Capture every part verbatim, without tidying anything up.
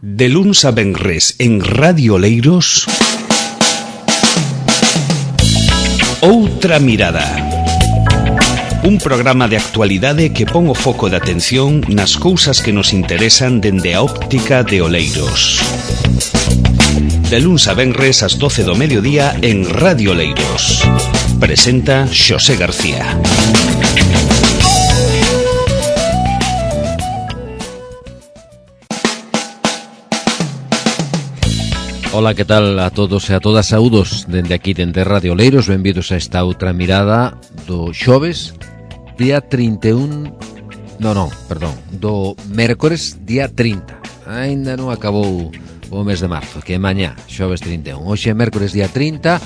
De luns a venres en Radio Oleiros, Outra Mirada. Un programa de actualidade que pon o foco de atención nas cousas que nos interesan dende a óptica de Oleiros. De luns a venres ás doce do mediodía en Radio Oleiros. Presenta Xosé García. Ola, que tal a todos e a todas, saúdos dende aquí dende Radio Oleiros. Benvidos a esta outra mirada do xoves, día trinta e un, non, non, perdón, do mércores, día trinta. Ainda non acabou o mes de marzo, que é mañá, xoves trinta e un. Hoxe é mércores, día trinta.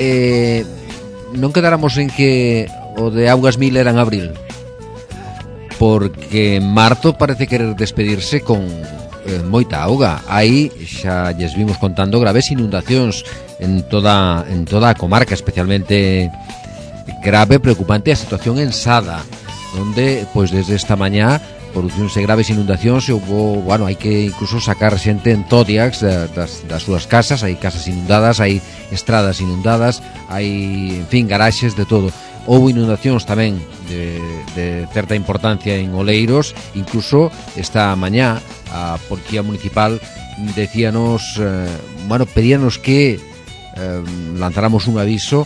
Eh, non quedáramos en que o de Augas Mil era en abril, porque marzo parece querer despedirse con eh, moita auga. Aí xa lles vimos contando graves inundacións en toda en toda a comarca, especialmente grave, preocupante a situación en Sada, onde pois desde esta mañá produciónse graves inundacións e hubo, bueno, hai que incluso sacar xente en Zodiacs das, das súas casas. Hai casas inundadas, hai estradas inundadas, hai, en fin, garaxes, de todo. Houve inundacións tamén de, de certa importancia en Oleiros. Incluso esta mañá a Policía Municipal decíanos, eh, bueno, pedíanos que eh, lanzáramos un aviso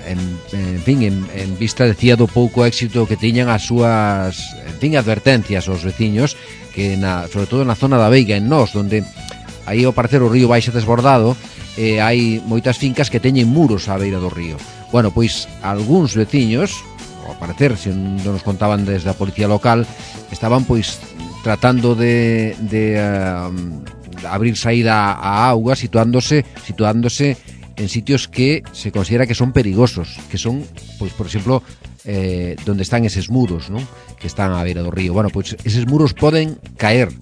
en, en fin, en, en vista, decía, do pouco éxito que tiñan as súas, en fin, advertencias aos veciños, que na, sobre todo na zona da Veiga, en Nós, onde aí ao parecer o río baixa desbordado, e hai moitas fincas que teñen muros á beira do río. Bueno, pois algúns veciños, ao parecer, se non nos contaban desde a policía local, estaban pois tratando de, de uh, abrir saída á auga, situándose situándose en sitios que se considera que son perigosos, que son, pois, por exemplo, eh, donde están eses muros, ¿no?, que están á beira do río. Bueno, pois eses muros poden caer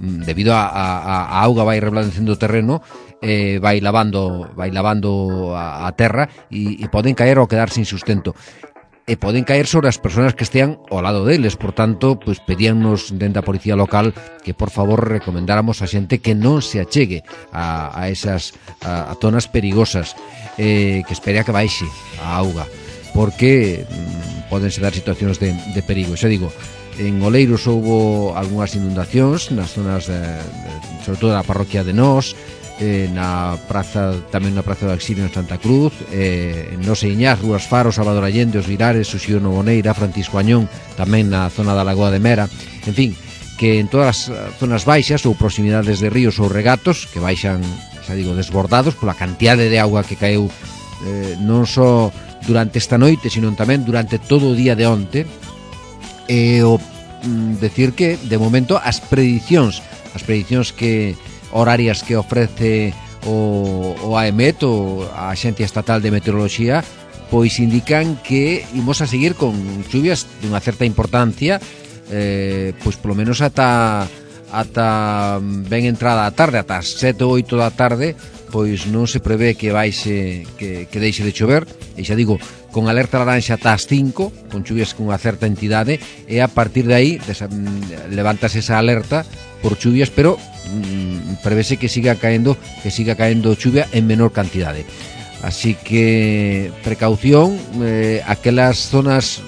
debido a, a, a auga vai reblandecendo o terreno, eh, vai lavando vai lavando a, a terra e, e poden caer ou quedar sin sustento. E poden caer sobre as persoas que estean ao lado deles. Por tanto, pois pedíannos dentro da policía local que por favor recomendáramos a xente que non se achegue a, a esas a, a zonas perigosas, eh, que espere a que baixe a auga, porque mm, podense dar situacións de, de perigo. Xa digo, en Oleiros houbo algunhas inundacións nas zonas de, de, sobre todo na parroquia de Nós, eh, na praza, tamén na praza do Exilio en Santa Cruz, eh, en Nos e Iñás, Rúas Faro, Salvador Allende, Os Virares, Suxío Novoneira, Francisco Añón, tamén na zona da Lagoa de Mera. En fin, que en todas as zonas baixas ou proximidades de ríos ou regatos que baixan, xa digo, desbordados pola cantidade de auga que caeu, eh, non só durante esta noite, sino tamén durante todo o día de onte. E o mm, decir que, de momento, as predicións as predicións que horarias que ofrece o, o AEMET, o a Axencia Estatal de Meteoroloxía, pois indican que imos a seguir con chuvias dunha certa importancia, eh, pois polo menos ata ata ben entrada a tarde, ata as sete ou oito da tarde, pois non se prevé que baixe, que, que deixe de chover. E xa digo, con alerta laranxa ata as cinco, con chuvias con unha certa entidade, e a partir de aí desa, levantase esa alerta por chuvias, pero mm, prevese que siga caendo que siga caendo chuvia en menor cantidade. Así que precaución, eh, aquelas zonas,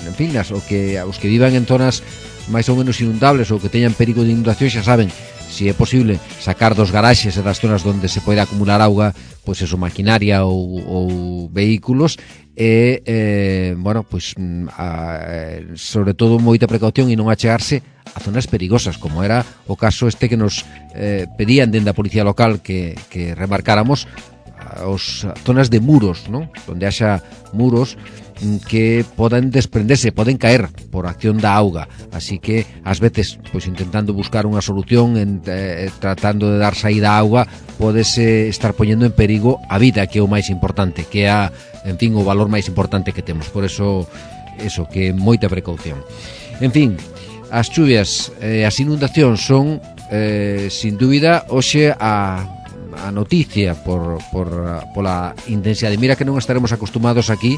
en fin, as, o que, os que vivan en zonas máis ou menos inundables ou que teñan perigo de inundación, xa saben, se é posible sacar dos garaxes e das zonas onde se pode acumular auga, pois eso, maquinaria ou, ou vehículos, e, eh, bueno, pois a, sobre todo moita precaución e non achegarse a zonas perigosas, como era o caso este que nos eh, pedían dentro da policía local que, que remarcáramos, as zonas de muros, ¿no?, onde haxa muros que poden desprenderse, poden caer por acción da auga. Así que ás veces, pois intentando buscar unha solución, en, eh, tratando de dar saída á auga, podese estar poñendo en perigo a vida, que é o máis importante, que é a, en fin, o valor máis importante que temos. Por eso, eso, que moita precaución. En fin, as chuvias, eh, as inundacións son, eh, sin dúbida, hoxe a a noticia por, por, pola intensidade. Mira que non estaremos acostumados aquí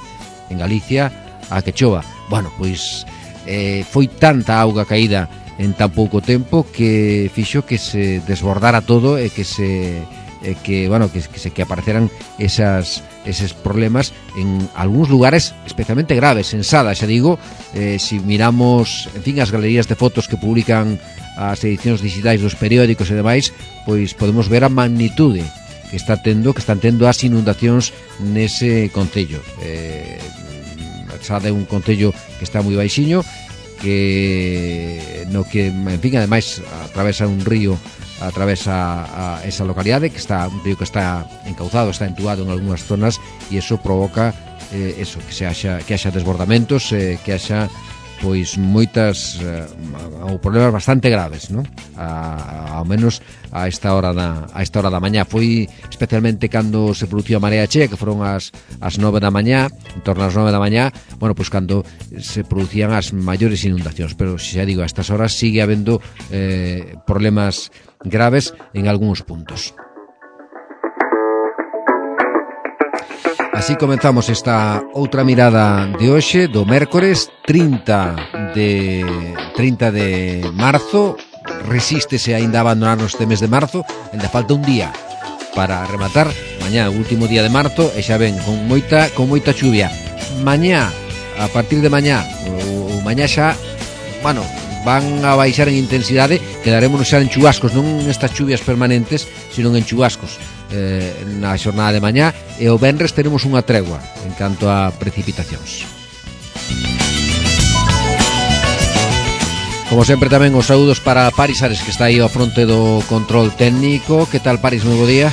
en Galicia a que chova. Bueno, pois eh, foi tanta auga caída en tan pouco tempo que fixo que se desbordara todo e que se eh, que, bueno, que, que se que apareceran esas eses problemas en algúns lugares especialmente graves. En Sada, xa digo, eh, si miramos, en fin, as galerías de fotos que publican as edicións digitais dos periódicos e demais, pois podemos ver a magnitude que está tendo, que están tendo as inundacións nese concello. Eh, Sada é un concello que está moi baixiño, que no que, en fin, ademais atravesa un río, atravesa a esa localidade, que está un río que está encauzado, está entubado en algunhas zonas, e eso provoca eh, eso, que se haxa que haxa desbordamentos, eh, que haxa pois moitas eh, ou problemas bastante graves, ¿no? A, ao menos a esta hora da a esta hora da mañá. Foi especialmente cando se produciu a marea chea, que foron as as nove da mañá, en torno ás nove da mañá, bueno, pois cando se producían as maiores inundacións, pero xa digo, a estas horas sigue habendo eh, problemas graves en algúns puntos. Así comenzamos esta outra mirada de hoxe, do mércores trinta de marzo. Resístese aínda a abandonarnos este mes de marzo, ainda falta un día para rematar. Mañá, o último día de marzo, e xa ven, con moita con moita chuvia. Mañá, a partir de mañá, o, o mañá xa, bueno, van a baixar en intensidade, quedarémonos xa en chubascos, non en estas chuvias permanentes, sino en chubascos eh, na xornada de mañá, e o venres teremos unha tregua en canto a precipitacións. Como sempre, tamén os saúdos para Paris Ares, que está aí ao fronte do control técnico. Que tal, Paris? Moi bo día.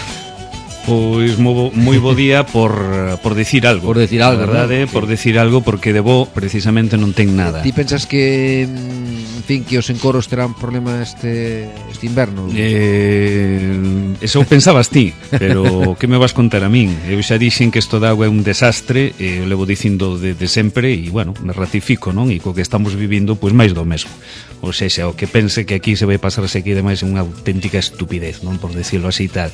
Pois moi, moi bo día por, por decir algo. Por decir algo, verdade, ¿no? Por decir algo, porque de bo precisamente non ten nada. Ti pensas que, en fin, que os encoros terán problema este este inverno? Eh, eso pensabas ti, pero que me vas contar a min? Eu xa dixen que isto da agua é un desastre, e eh, levo dicindo de, de sempre, e, bueno, me ratifico, non? E co que estamos vivindo, pois máis do mesmo. Ou seja, o que pense que aquí se vai pasar aquí demais é unha auténtica estupidez, non? Por decirlo así tal.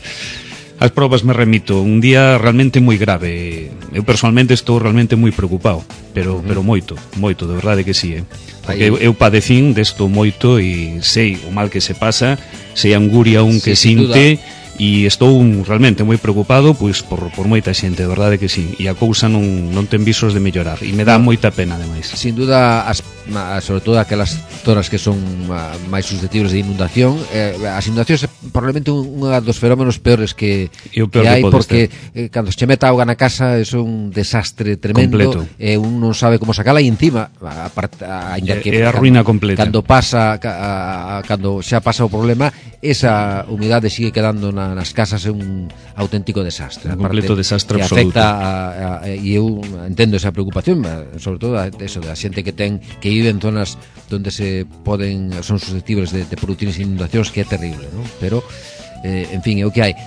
As probas me remito, un día realmente moi grave. Eu personalmente estou realmente moi preocupado, pero pero moito, moito, de verdade que sí, eh. Porque eu, eu padecín desto moito e sei o mal que se pasa, sei a anguria un que sí, sinte, e estou realmente moi preocupado pois por, por moita xente, de verdade que sí, e a cousa non, non ten visos de mellorar, e me dá moita pena ademais. Sin duda, as, sobre todo aquelas zonas que son máis susceptibles de inundación, eh, as inundacións é probablemente un dos fenómenos peores que, que hai, que porque eh, cando se meta auga na casa é un desastre tremendo, e eh, un non sabe como sacala, e encima a, a, a, que, é a ruína completa. Cando pasa a, a, cando xa pasa o problema, esa humidade sigue quedando na nas casas, é un auténtico desastre, un completo desastre que absoluto, afecta a, a, e eu entendo esa preocupación, sobre todo a, eso, da xente que ten que vive en zonas onde se poden son susceptibles de, de producir inundacións, que é terrible, ¿no? Pero eh, en fin, é o que hai.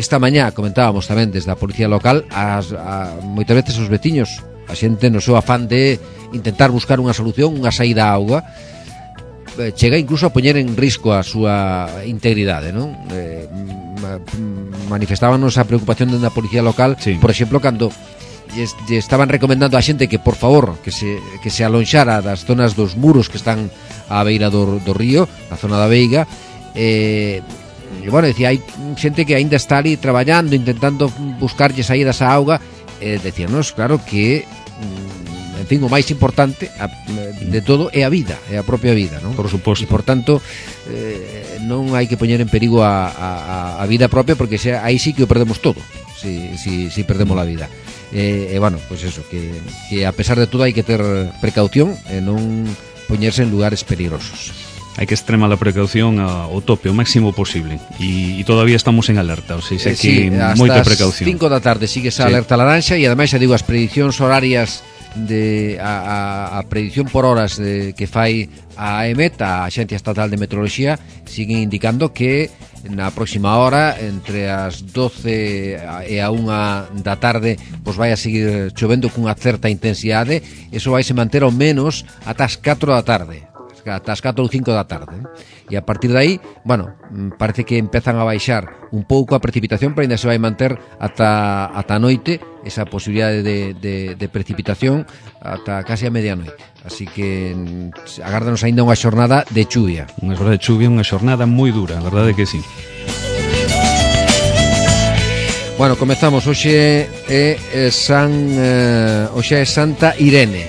Esta mañá comentábamos tamén desde a policía local, as, a, moitas veces os veciños, a xente no seu afán de intentar buscar unha solución, unha saída á auga, chega incluso a poñer en risco a súa integridade, non? Eh, manifestábanos a preocupación da policía local, sí. Por exemplo, cando lle estaban recomendando a xente que, por favor, que se, que se alonxara das zonas dos muros que están á beira do, do río, na zona da Veiga, eh, e, bueno, decía, hai xente que aínda está ali traballando, intentando buscarlle saídas á auga, eh, decíanos, claro, que en fin, o máis importante a, de todo é a vida, é a propia vida, non? Por suposto. E, por tanto, eh, non hai que poñer en perigo a, a, a vida propia, porque xa, aí sí que o perdemos todo, si, si, si perdemos a vida. E, eh, eh, bueno, pois pues eso, que, que a pesar de todo hai que ter precaución e non poñerse en lugares peligrosos. Hai que extremar a precaución ao tope, o máximo posible, e, e todavía estamos en alerta, ou seja, eh, que sí, moita precaución. Hasta as cinco da tarde sigue esa sí. Alerta laranxa, e ademais xa digo, as prediccións horarias de a, a, a predicción por horas de, que fai a AEMET, a Axencia Estatal de Meteoroloxía, siguen indicando que na próxima hora, entre as doce e a unha da tarde, pois vai a seguir chovendo cunha certa intensidade. Eso vai se manter ao menos ata as catro da tarde. As ata as catro ou cinco da tarde, eh? E a partir de aí, bueno, parece que empezan a baixar un pouco a precipitación, pero ainda se vai manter ata, ata a noite esa posibilidade de, de, de precipitación ata casi a medianoite. Así que agárdanos ainda unha xornada de chuvia. Unha xornada de chuvia, unha xornada moi dura, a verdade que sí. Bueno, comezamos. Hoxe é San eh, hoxe é Santa Irene.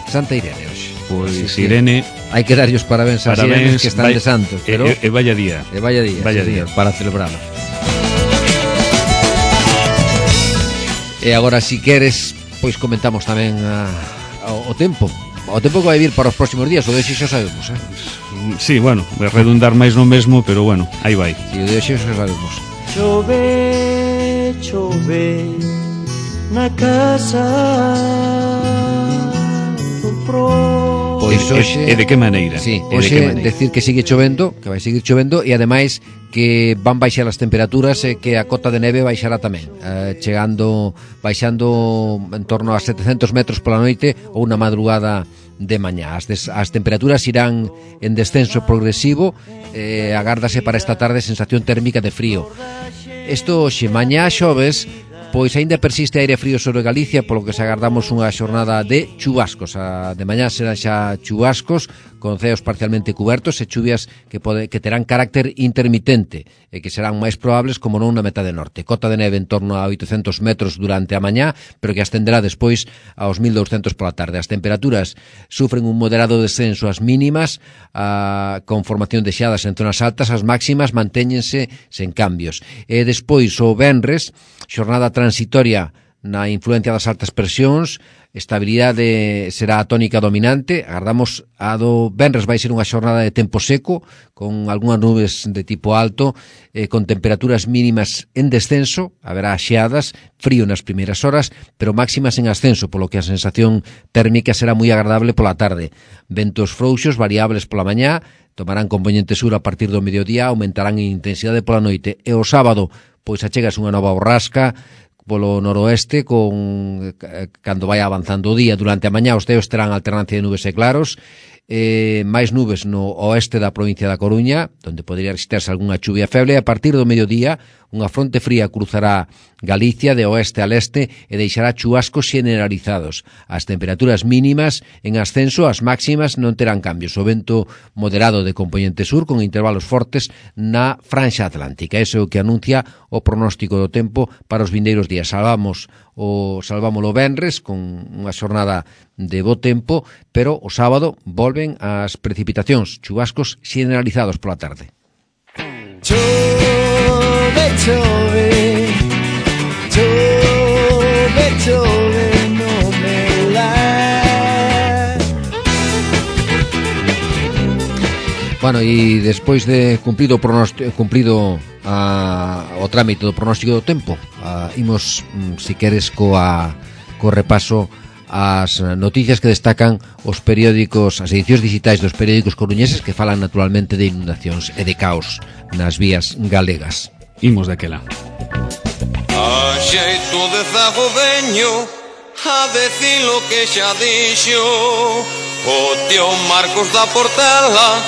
Santa Irene hoxe. Pois sí, Irene, hai que darlle os parabéns a Irenes que están vai, de santos, pero e, e vaya día. E vaya día, vaya sí, día. Señor, para celebralo. E agora, si queres, pois comentamos tamén a, a, o tempo. O tempo que vai vir para os próximos días, o de hoxe xa sabemos, eh? Sí, bueno, vai redundar máis no mesmo, pero bueno, aí vai. Sí, o de hoxe xa sabemos. Chove, chove na casa do pro. Pois hoxe, e, e de que maneira? Sí, e hoxe de que maneira? decir que sigue chovendo, que vai seguir chovendo, e ademais que van baixar as temperaturas e que a cota de neve baixará tamén, eh, chegando, baixando en torno a setecentos metros pola noite ou na madrugada de mañá. As, des, as temperaturas irán en descenso progresivo, eh, agárdase para esta tarde sensación térmica de frío. Isto hoxe, mañá xoves, pois aínda persiste aire frío sobre Galicia, polo que se agardamos unha xornada de chubascos. A de mañá serán xa chubascos con ceos parcialmente cubertos e chuvias que pode, que terán carácter intermitente e que serán máis probables como non na metade norte. Cota de neve en torno a oitocentos metros durante a mañá, pero que ascenderá despois aos mil douscentos pola tarde. As temperaturas sufren un moderado descenso ás mínimas, a, con formación de xeadas en zonas altas, as máximas mantéñense sen cambios. E despois o venres, xornada transitoria na influencia das altas presións, estabilidade será a tónica dominante. Agardamos a do venres vai ser unha xornada de tempo seco, con algunhas nubes de tipo alto, eh, con temperaturas mínimas en descenso, haberá xeadas, frío nas primeiras horas, pero máximas en ascenso, polo que a sensación térmica será moi agradable pola tarde. Ventos frouxos, variables pola mañá, tomarán componente sur a partir do mediodía, aumentarán en intensidade pola noite, e o sábado pois achegas unha nova borrasca polo noroeste, con cando vai avanzando o día. Durante a mañá os ceos terán alternancia de nubes e claros, eh, máis nubes no oeste da provincia da Coruña, onde podría resistirse algunha chuvia feble, e a partir do mediodía unha fronte fría cruzará Galicia de oeste a leste e deixará chubascos generalizados. As temperaturas mínimas en ascenso, as máximas non terán cambios. O vento moderado de componente sur con intervalos fortes na franxa atlántica. Ese é o que anuncia o pronóstico do tempo para os vindeiros días. Salvamos o salvámolo venres con unha xornada de bo tempo, pero o sábado volven as precipitacións, chubascos generalizados pola tarde. Chove, chove, chove, chove, no me la. Bueno, e despois de cumprido o pronóstico, cumprido a, o trámite do pronóstico do tempo, a, imos, si queres, coa, co repaso as noticias que destacan os periódicos, as edicións digitais dos periódicos coruñeses, que falan naturalmente de inundacións e de caos nas vías galegas. Imos daquela. A xeito de zago veño a decir lo que xa dixo o tío Marcos da Portela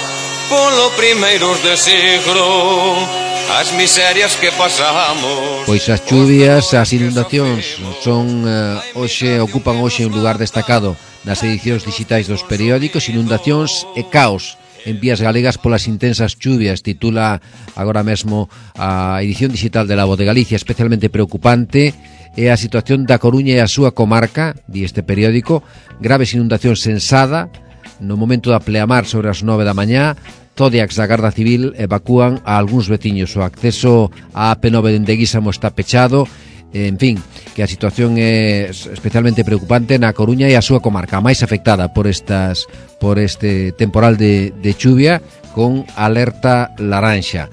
polo primeiros de siglo. As miserias que pasamos. Pois as chuvias, as inundacións son eh, hoxe, ocupan hoxe un lugar destacado nas edicións digitais dos periódicos. Inundacións e caos en vías galegas polas intensas chuvias, titula agora mesmo a edición digital de La Voz de Galicia. Especialmente preocupante é a situación da Coruña e a súa comarca, di este periódico. Graves inundacións en Sada no momento da pleamar sobre as nove da mañá. Zodiacs da Garda Civil evacúan a algúns veciños. O acceso á A P nove dende Guísamo está pechado. En fin, que a situación é especialmente preocupante na Coruña e a súa comarca, a máis afectada por estas por este temporal de, de chuvia, con alerta laranxa.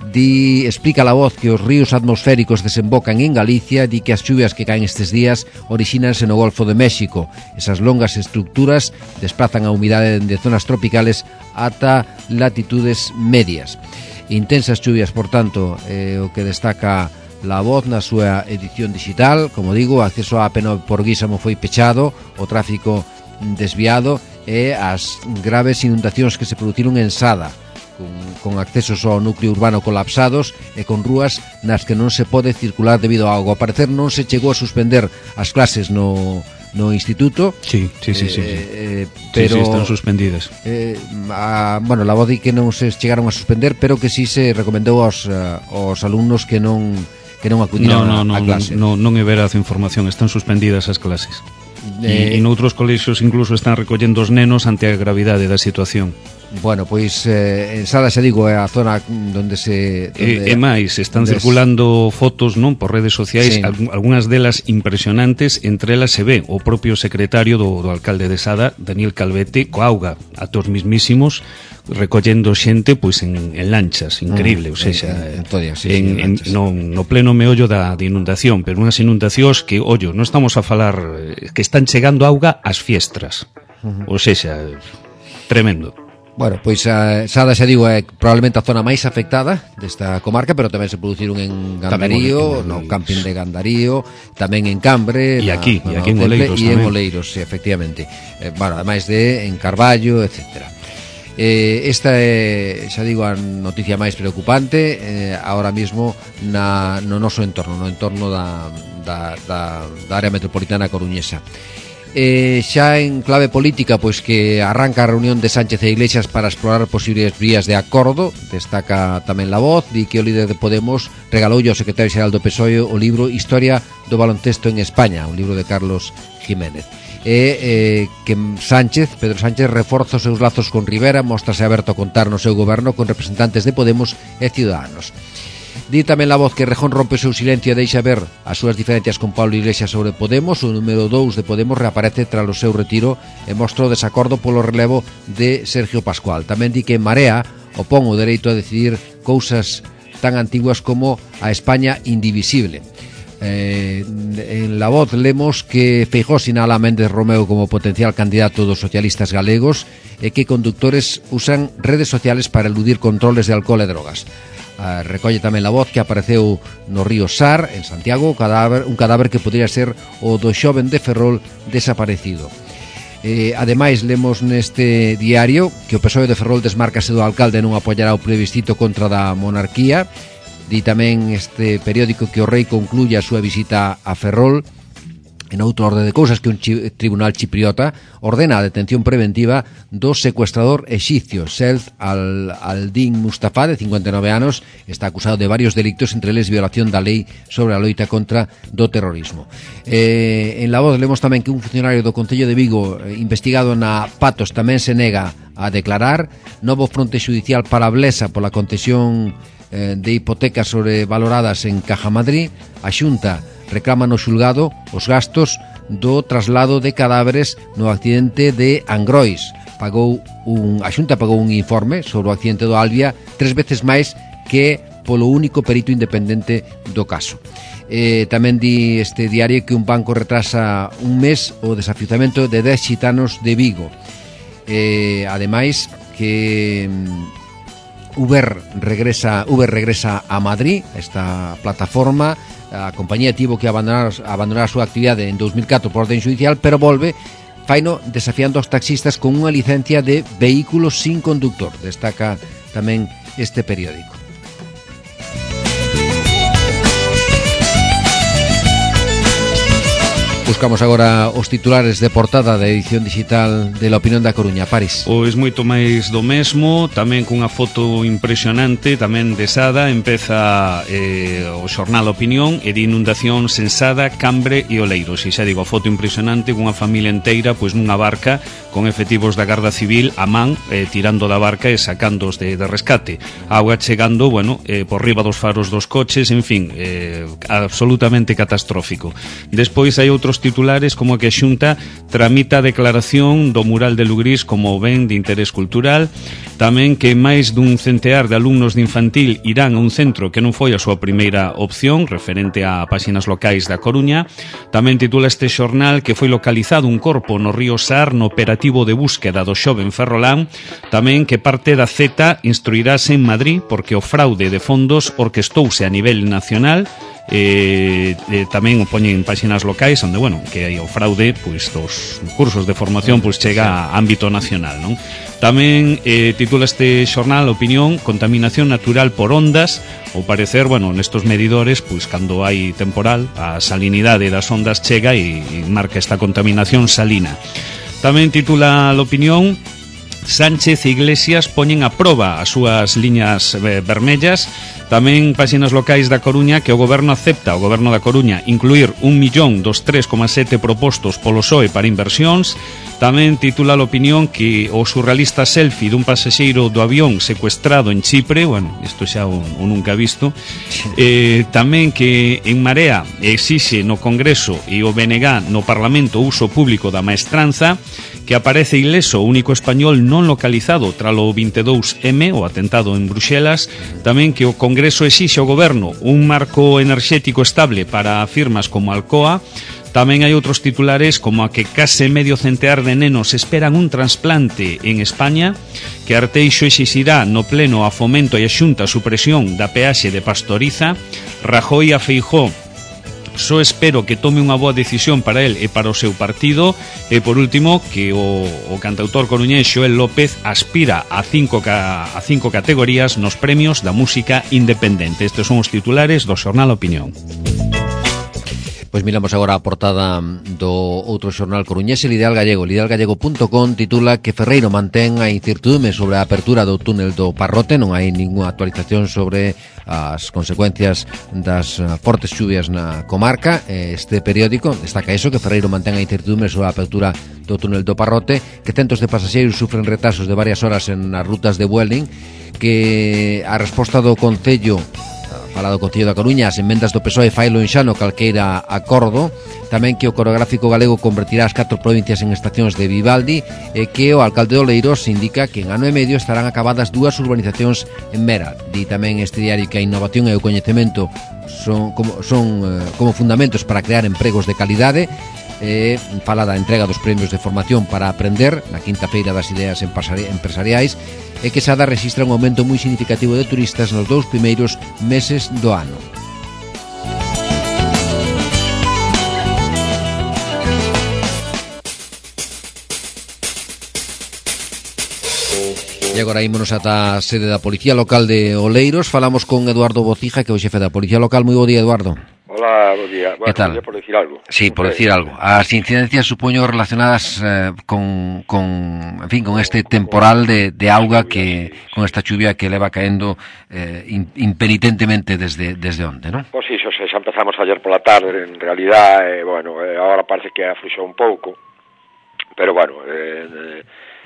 Di, explica La Voz que os ríos atmosféricos desembocan en Galicia, di que as chuvias que caen estes días orixínanse no Golfo de México. Esas longas estructuras desplazan a humidade de zonas tropicales ata latitudes medias. Intensas chuvias, por tanto, eh, o que destaca La Voz na súa edición digital. Como digo, o acceso á A P nove por Guísamo foi pechado, o tráfico desviado e as graves inundacións que se produciron en Sada, con, con accesos ao núcleo urbano colapsados e con rúas nas que non se pode circular debido ao auga. Ao parecer non se chegou a suspender as clases no, no instituto. Sí, sí, sí, sí, sí. Eh, pero, sí, sí, están suspendidas. Eh, a, bueno, la voz di que non se chegaron a suspender, pero que sí se recomendou aos, uh, aos alumnos que non que non acudiran no, no, a, a no, clase. Non, non é veraz a información, están suspendidas as clases. E, Eh, e noutros colexios incluso están recollendo os nenos ante a gravidade da situación. Bueno, pois eh, en Sada, xa digo, é a zona onde se... Donde, E, e máis, están donde circulando fotos, non, por redes sociais, Sí. alg- algunhas delas impresionantes. Entre elas se ve o propio secretario do, do alcalde de Sada, Daniel Calvete, co auga a tos mismísimos, recollendo xente pois en, en lanchas, increíble, Mm, ou seja, en- en todas, sí, en, sí, en en, lanchas. no, no pleno meollo da de inundación, pero unhas inundacións que, ollo, non estamos a falar eh, que están chegando auga ás fiestras. Ou seja, tremendo. Bueno, pois a Sada, xa digo, é probablemente a zona máis afectada desta comarca, pero tamén se produciron en Gandarío, Tamén no en- camping de Gandarío, tamén en Cambre, E na- aquí, no e aquí en Temple, Oleiros e en tamén. Oleiros, sí, efectivamente. Eh, bueno, ademais de en Carballo, etcétera. Eh, esta é, xa digo, a noticia máis preocupante eh, ahora mismo na, no noso entorno, no entorno da, da, da, da área metropolitana coruñesa. Eh, xa en clave política, pois que arranca a reunión de Sánchez e Iglesias para explorar posibles vías de acordo. Destaca tamén La Voz, di que o líder de Podemos regaloulle ao secretario xeral do P S O E o libro Historia do baloncesto en España, un libro de Carlos Jiménez. E eh, que Sánchez, Pedro Sánchez, reforza os seus lazos con Rivera, mostrase aberto a contar no seu goberno con representantes de Podemos e Ciudadanos. Di tamén La Voz que Rejón rompe o seu silencio e deixa ver as súas diferencias con Pablo Iglesias sobre Podemos. O número dous de Podemos reaparece tras o seu retiro e mostra o desacordo polo relevo de Sergio Pascual. Tamén di que Marea opón o dereito a decidir cousas tan antiguas como a España indivisible. Eh, en La Voz lemos que Feijóo sinala a Méndez Romeu como potencial candidato dos socialistas galegos e que conductores usan redes sociales para eludir controles de alcohol e drogas. Uh, recolle tamén La Voz que apareceu no río Sar, en Santiago, cadáver, un cadáver que podría ser o do xoven de Ferrol desaparecido. Eh, ademais, lemos neste diario que o P S O E de Ferrol desmárcase do alcalde e non apoiará o plebiscito contra da monarquía. Di tamén este periódico que o rei concluye a súa visita a Ferrol. En outro orde de cousas, que un chi- tribunal chipriota ordena a detención preventiva do secuestrador exipcio Self al, Aldin Mustafa, de cincuenta e nove anos. Está acusado de varios delictos, entre eles violación da lei sobre a loita contra do terrorismo. Eh, en La Voz lemos tamén que un funcionario do Concello de Vigo, eh, investigado na Patos, tamén se nega a declarar. Novo fronte xudicial para Blesa pola concesión eh, de hipotecas sobrevaloradas en Caja Madrid. A Xunta reclama no xulgado os gastos do traslado de cadáveres no accidente de Angrois. Pagou un, a Xunta pagou un informe sobre o accidente do Albia tres veces máis que polo único perito independente do caso. Eh, tamén di este diario que un banco retrasa un mes o desafiuzamento de dez xitanos de Vigo. Eh, ademais que mm, Uber regresa Uber regresa a Madrid, esta plataforma. A compañía tivo que abandonar, abandonar a súa actividade en dos mil catro por orden judicial, pero volve, faino desafiando aos taxistas con unha licencia de vehículos sin conductor. Destaca tamén este periódico. Buscamos agora os titulares de portada da edición digital de La Opinión da Coruña. París. Pois moito máis do mesmo, tamén cunha foto impresionante, tamén de Sada. Empeza eh, o xornal Opinión e de inundacións en Sada, Cambre e Oleiros. E xa digo, a foto impresionante cunha familia inteira pois nunha barca con efectivos da Garda Civil a man, eh, tirando da barca e sacándoos de, de rescate. A auga chegando, bueno, eh, por riba dos faros dos coches, en fin, eh, absolutamente catastrófico. Despois hai outros titulares como que a Xunta tramita a declaración do mural de Lugrís como ben de interés cultural. tamén que máis dun centear de alumnos de infantil irán a un centro que non foi a súa primeira opción, referente a páxinas locais da Coruña. Tamén titula este xornal que foi localizado un corpo no río Sar no operativo de búsqueda do xoven Ferrolán. Tamén que parte da Z instruirase en Madrid porque o fraude de fondos orquestouse a nivel nacional. Eh, eh, tamén o poñen en páxinas locais onde, bueno, que hai o fraude pois dos cursos de formación pois chega a ámbito nacional, non? Tamén eh, titula este xornal Opinión, contaminación natural por ondas. Ao parecer, bueno, nestos medidores pois cando hai temporal a salinidade das ondas chega e, e marca esta contaminación salina. Tamén titula a Opinión, Sánchez e Iglesias poñen a proba as súas liñas eh, vermellas. Tamén páxinas locais da Coruña que o goberno acepta, o goberno da Coruña, incluir un millón dos tres coma sete propostos polo P S O E para inversións. Tamén titula a Opinión que o surrealista selfie dun pasaxeiro do avión secuestrado en Chipre, bueno, isto xa o, o nunca visto. Eh, tamén que en Marea exixe no Congreso e o B N G no Parlamento o uso público da maestranza, que aparece ileso o único español non localizado tralo vinte e dous eme, o atentado en Bruxelas. Tamén que o Congreso exixe ao goberno un marco enerxético estable para firmas como Alcoa. Tamén hai outros titulares como a que case medio centear de nenos esperan un trasplante en España, que Arteixo exixirá no pleno a Fomento e a Xunta a supresión da peaxe de Pastoriza. Rajoy a Feijóo: só espero que tome unha boa decisión para el e para o seu partido. E por último, que o, o cantautor coruñés Xoel López aspira a cinco, ca, a cinco categorías nos premios da música independente. Estes son os titulares do xornal Opinión. Pois miramos agora a portada do outro xornal coruñés, el Ideal Gallego. El ideal gallego punto com titula que Ferreiro mantén a incertitude sobre a apertura do túnel do Parrote. Non hai ninguna actualización sobre as consecuencias das fortes chuvias na comarca. Este periódico destaca eso, que Ferreiro mantén a incertitude sobre a apertura do túnel do Parrote, que centos de pasaxeiros sufren retrasos de varias horas en as rutas de Vueling, que a resposta do Concello fala do Concello da Coruña, as emendas do P S O E failo en xa no calqueira acordo. Tamén que o coreográfico galego convertirá as catro provincias en estacións de Vivaldi, e que o alcalde de Oleiros indica que en ano e medio estarán acabadas dúas urbanizacións en Mera. Di tamén este diario que a innovación e o coñecemento son como, son, eh, como fundamentos para crear empregos de calidade. Eh, fala da entrega dos premios de formación para aprender na quinta feira das ideas empresariais, e que Sada rexistra un aumento moi significativo de turistas nos dous primeiros meses do ano. E agora ímonos ata a sede da Policía Local de Oleiros. Falamos con Eduardo Bocija, que é o xefe da Policía Local. Moi bo día, Eduardo. Hola, bo día. Bueno, ¿Qué tal? Por decir algo. Sí, por decir algo. As incidencias, supoño, relacionadas eh, con, con, en fin, con este temporal de, de auga que, con esta chuvia que leva caendo eh, impenitentemente desde, desde onde, ¿no? Pois iso, xa empezamos ayer pola tarde, en realidad, eh, bueno, eh, agora parece que afluxou un pouco, pero bueno, eh, eh,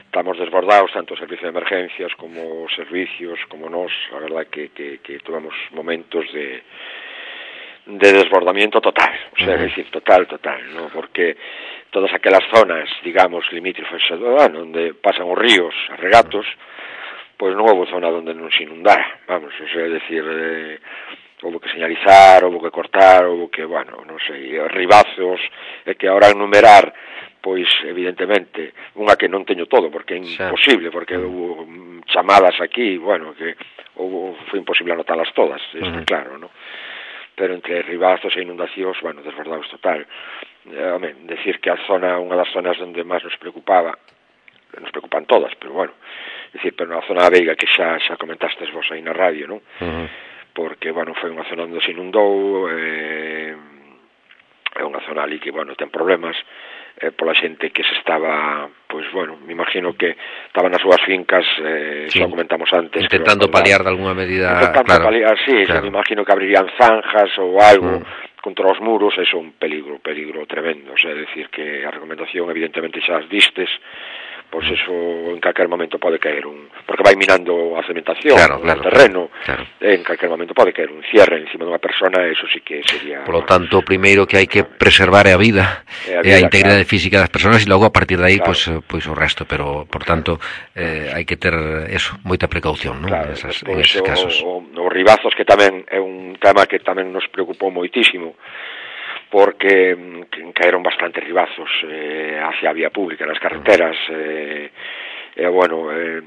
estamos desbordados, tanto o servicio de emergencias como os servicios, como nós, a verdad que, que, que tuvemos momentos de de desbordamiento total, o sea, uh-huh. es decir, total, total, ¿no? Porque todas aquelas zonas, digamos, limítrofes, bueno, onde pasan os ríos, os regatos, pois non houve zona onde non se inundara, vamos, o sea, es decir, eh, houve que señalizar, houve que cortar, houve que, bueno, non sei, ribazos, e que ahora enumerar, pois, evidentemente, unha que non teño todo, porque é imposible, porque houve chamadas aquí, bueno, que houve, foi imposible anotalas todas, está uh-huh. claro, ¿no? Pero entre ribazos e inundacións, bueno, desbordados total. Eh, home, decir que a zona, unha das zonas onde máis nos preocupaba, nos preocupan todas, pero bueno, decir, pero na zona da Veiga, que xa xa comentastes vos aí na radio, non? Uh-huh. Porque, bueno, foi unha zona onde se inundou, eh, é unha zona ali que, bueno, ten problemas, eh, pola xente que se estaba, pois, bueno, me imagino que estaban nas súas fincas, eh, sí. Xa comentamos antes. Intentando creo, paliar de alguna medida. Intentando claro. paliar, sí, claro. Me imagino que abrirían zanjas ou algo mm. contra os muros, eso é un peligro, peligro tremendo, o sea, é decir que a recomendación, evidentemente, xa as distes, pois eso en calquer momento pode caer un, porque vai minando a cementación, claro, o claro, terreno, claro. En calquer momento pode caer un cierre encima dunha persona, eso sí que sería... Por lo tanto, o primeiro que hai que preservar é a vida, é a, vida, a integridade claro. física das persoas, e logo a partir de aí, claro. pois, pois o resto, pero, por tanto, eh, hai que ter eso, moita precaución, non? Claro, Esas, en esos o, casos. O, os ribazos, que tamén é un tema que tamén nos preocupou moitísimo, porque mm, caeron bastantes ribazos eh, hacia a vía pública, nas carreteras, eh, e, bueno, eh,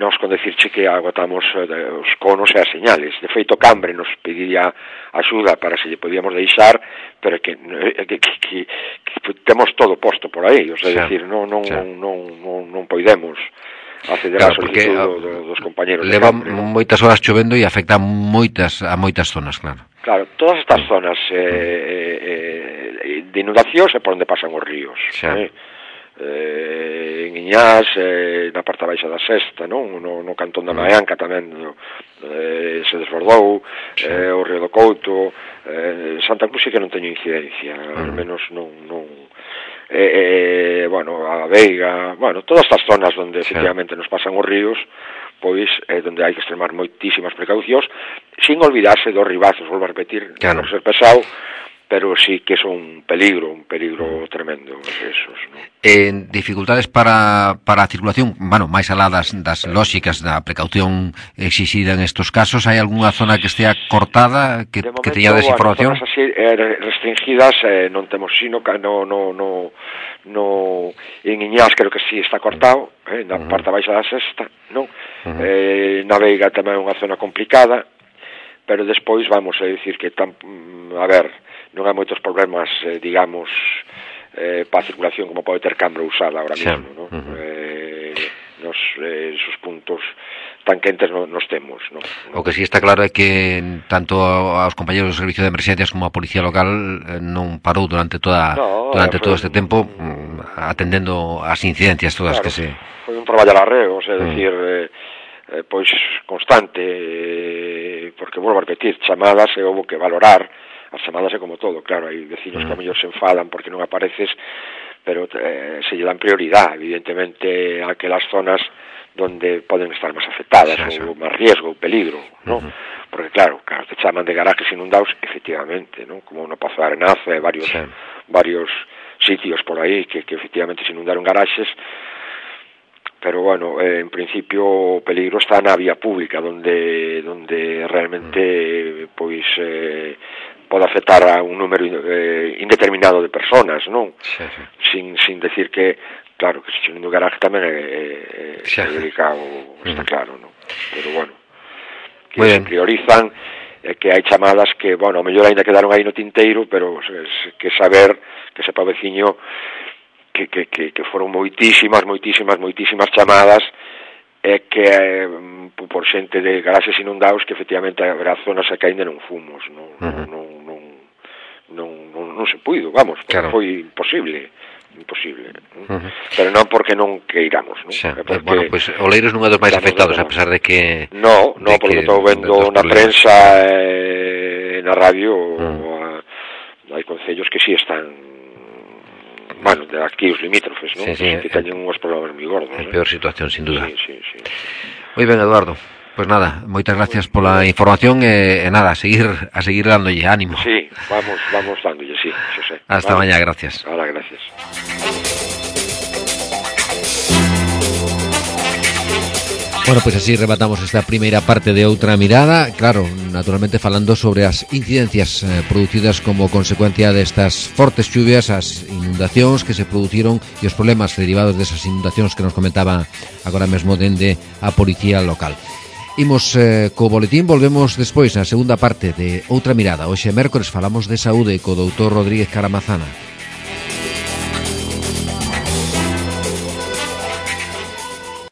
nós con decirche que agotamos eh, os conos e as señales. De feito, Cambre nos pedía axuda para se lle podíamos deixar, pero que, eh, que, que, que, que temos todo posto por aí, o sea, xa, decir, non, non, xa. non, non, non podemos acceder Claro, a solicitud do, do, dos compañeros. Leva de Cambre, ¿no? moitas horas chovendo e afecta a moitas, a moitas zonas, claro. Claro, todas estas zonas eh, eh, de inundacións é por onde pasan os ríos. Xa. Eh? Eh, en Iñás, eh, na parte baixa da Sesta, non? No, no cantón da Maianca tamén no, eh, se desbordou, eh, o Río do Couto, eh, Santa Cruz sí que non teño incidencia, uh-huh. al menos non... non eh, eh, bueno, a Veiga, bueno, todas estas zonas onde efectivamente nos pasan os ríos, pois é eh, onde hai que extremar moitísimas precaucións, sin olvidarse dos ribazos, volvo a repetir, claro. por ser pesado, pero sí que son un peligro, un peligro tremendo esos, ¿no? En dificultades para, para a circulación, bueno, máis alá das, das lóxicas da precaución exixida en estos casos, hai algunha zona que estea cortada, que, momento, que teña desinformación? Bueno, zonas así eh, restringidas eh, non temos sino que no, no, no, no en Iñás creo que sí está cortado, eh, na uh-huh. parte baixa da Sesta, non? Uh-huh. Eh, na Veiga tamén é unha zona complicada, pero despois vamos a decir que tam, a ver, non hai moitos problemas, eh, digamos, eh, para a circulación como pode ter Cambre usada ahora mismo, sí. ¿no? Uh-huh. eh, nos, eh, esos puntos tan quentes no, nos temos, ¿no? O que sí está claro é que tanto aos compañeros do servicio de emerxencias como a policía local eh, non parou durante toda no, durante todo este un, tempo atendendo as incidencias todas claro, que se... Foi un traballo arreo, o sea, mm. decir, eh, eh, pois constante, eh, porque volvo a repetir, chamadas e houve que valorar. As chamadas é como todo, claro, hai vecinos que a mellor se enfadan porque non apareces, pero eh, se lle dan prioridade, evidentemente, a aquelas zonas donde poden estar máis afectadas, sí, ou máis riesgo, ou peligro, ¿no? Uh-huh. Porque claro, claro, te chaman de garajes inundados, efectivamente, ¿no? Como no Pazo de Arenaza, varios, sí. varios sitios por aí que, que efectivamente se inundaron garaxes, pero bueno, eh, en principio o peligro está na vía pública, donde donde realmente, pois, eh, pode afectar a un número eh, indeterminado de personas, non? Sí, sí. Sin, sin decir que, claro, que se xe no garaje tamén é, é, sí. é delicado, está claro, non? Pero bueno, que Muy se bien. priorizan, eh, que hai chamadas que, bueno, ao mellor ainda quedaron aí no tinteiro, pero es, que saber, que sepa o veciño, que, que, que, que foron moitísimas, moitísimas, moitísimas chamadas, é que eh, por xente de garaxes inundados que efectivamente haberá zonas que ainda non fumos, non, uh-huh. non, non, non, non, non se puido, vamos, claro. Foi imposible, imposible, uh-huh. pero non porque non queiramos, non? Xa, porque, bueno, pois pues, Oleiros non é dos máis afectados, a pesar de que... No, no, porque estou vendo na prensa, eh, na radio, uh-huh. a, hai concellos que sí están... Bueno, de aquí os limítrofes, ¿no? Sí, sí, que teñen uns problemas moi gordos. É peor situación, sin duda. Sí, sí, sí. Moi ben, Eduardo. Pois pues nada, moitas gracias pola información e, e nada, a seguir a seguir dándolle ánimo. Sí, vamos vamos dándolle, sí, Xosé. Hasta vale. Mañá, gracias. Ahora, gracias. Bueno, pois pues así rematamos esta primeira parte de Outra Mirada, claro, naturalmente falando sobre as incidencias eh, producidas como consecuencia destas fortes chuvias, as inundacións que se produciron e os problemas derivados desas inundacións que nos comentaba agora mesmo dende a policía local. Imos eh, co boletín, volvemos despois na segunda parte de Outra Mirada. Hoxe mércores falamos de saúde co doutor Rodríguez Caramazana.